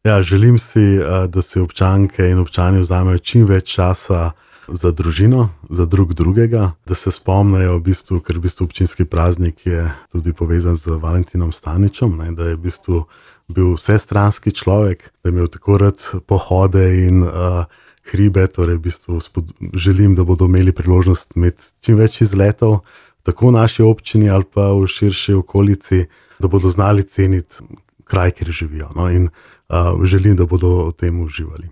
Ja, želim si, da si občanke in občani vzamejo čim več časa za družino, za drug drugega, da se spomnejo v bistvu, ker v bistvu občinski praznik je tudi povezan z Valentinom Staničem, ne, da je v bistvu bil vsestranski človek, da je imel tako rad pohode in hribe, torej v bistvu želim, da bodo imeli priložnost imeti čim več izletov, tako v naši občini ali pa v širši okolici, da bodo znali ceniti kraj, kjer živijo, no, in želim, da bodo v tem uživali.